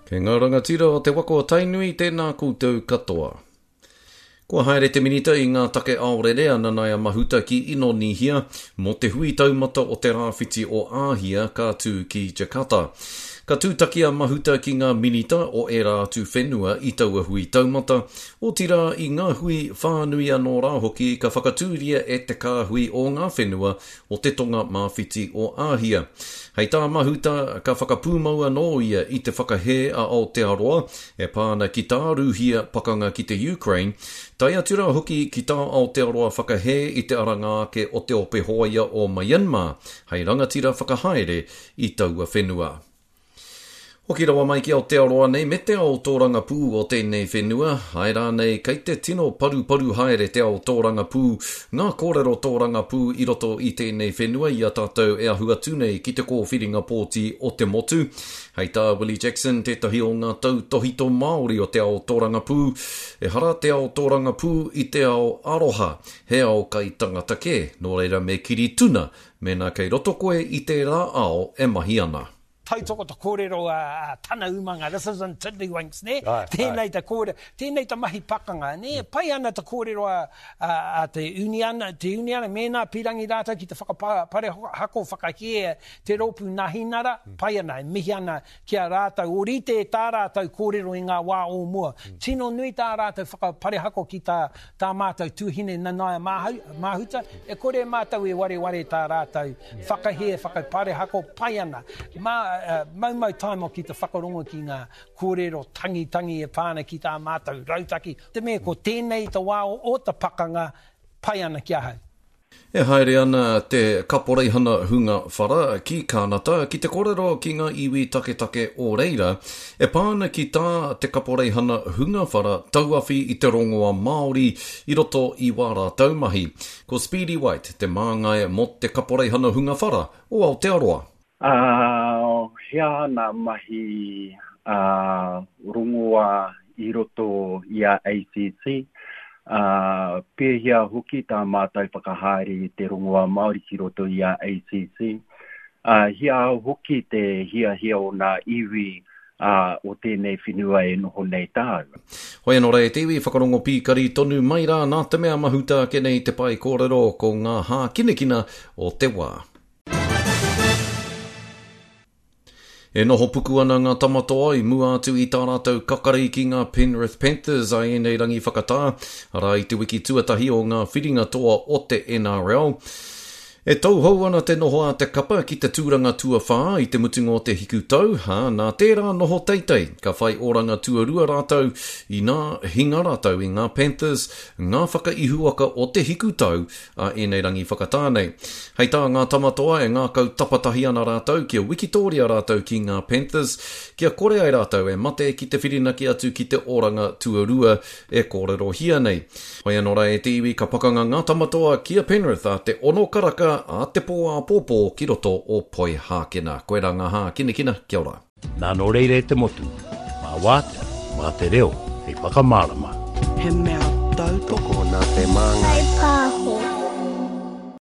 Kei ngā rangatira o te waka o Tainui, tēnā koutou katoa. Kua haere te Minita i ngā take aorere a Nanaia Mahuta ki Inonīhia mō te hui taumata o te Rāwhiti o Āhia ka tū ki Jakarta. Ka tūtaki a Mahuta ki ngā minita o ērā atu whenua i taua hui taumata, otirā i ngā hui whānui anō rā hoki ka whakatūria e te kāhui o ngā whenua o te tonga mā-whiti o Āhia. Hei tā Mahuta, ka whakapūmau anō ia i te whakahē a Aotearoa e pā ana ki tā Rūhia pakanga ki te Ukraine, tae atu rā hoki ki tā Aotearoa whakahē i te aranga ake o te ope hōia o Myanmar hei rangatira whakahaere i taua whenua. Hoki rawa mai ki Aotearoa nei me te ao tōrangapū o tēnei whenua, āe rānei kei te tino paruparu haere te ao tōrangapū, ngā kōrero tōrangapū i roto i tēnei whenua i a tātou e ahu atu nei ki te kōwhiringa pōti o te motu. Hei tā Willie Jackson, tētahi o ngā tautōhito Māori o te ao tōrangapū, ehara te ao tōrangapū i te ao aroha, he ao kai tangata kē, nō reira me kiri tuna mēnā kei roto koe i tērā ao e mahi ana. Tautoko te kōrero a tana umanga, this isn't tiddlywinks, nē? Tēnei te kōrero, tēnei te mahi pakanga, nē? Pai ana te kōrero a te uniana, te uniana, mēnā pīrangi rātou ki te whakaparehako whakahē te rōpū Nahinara, pai ana, e mihi ana ki a rātou, ōrite tā rātou kōrero i ngā wā o mua. Tino nui tā rātou whakaparehako ki tā tā mātou tuahine Nanaia Mahuta, e kore mātou e wareware tā rātou whakahē, whakaparehako, pai ana. Mā, maumau taimo ki te whakarongo ki ngā kōrero tangitangi e pā ana ki tā mātou rautaki, te mea ko tēnei te wā o te pakanga, pai ana ki ahau. E haere ana te Kaporeihana Hunga Whara ki Kānata ki te kōrero ki ngā iwi taketake o reira e pā ana ki tā te Kaporeihana Hunga Whara tauawhi i te rongoa Māori i roto i wā rātou mahi. Ko Speedy White te māngai mō te Kaporeihana Hunga Whara o Aotearoa. Ā, he aha nā mahi ā rongoā i roto i a ACC, ā, pēhea hoki tā mātou whakahaere i te rongoā Māori ki roto i a ACC, ā, he aha hoki te hiahia o nā iwi ā, o tēnei whenua e noho nei tāua. Hoi anō rā e te iwi, whakarongo pīkari tonu mai rā nā te mea mahuta ake nei te pae kōrero ko ngā hākinakina o te wā. E noho puku ana ngā Tamatoa i mua atu i tā rātou kakari ki ngā Penrith Panthers a ēnei rangi whakatā, arā i te wiki tuatahi o ngā whiringa toa o te NRL. E tauhou ana te noho a te kapa ki te tūranga tuawhā i te mutunga o te hikutau, ā, nā tērā noho teitei, ka whai oranga tuarua rātou inā hinga rātou i ngā Panthers, ngā whakaihuwaka o te hikutau a ēnei rangi whakatā nei. Hei tā ngā tama toa e ngākau tapatahi ana rātou kia wikitōria rātou ki ngā Panthers, kia kore ai rātou e mate ki te whirinaki atu ki te oranga tuarua e kōrerohia nei. Hoi anō rā e te iwi ka pakanga ngā tama toa ki a Penrith ā te ono karaka ā te pō āpōpō ki roto o Poihākena. Koirā ngā hākinakina, kia ora. Nā nō reira e te motu, mā Wātea, mā te reo hei whakamārama. He mea tautoko. Tokona te māngai.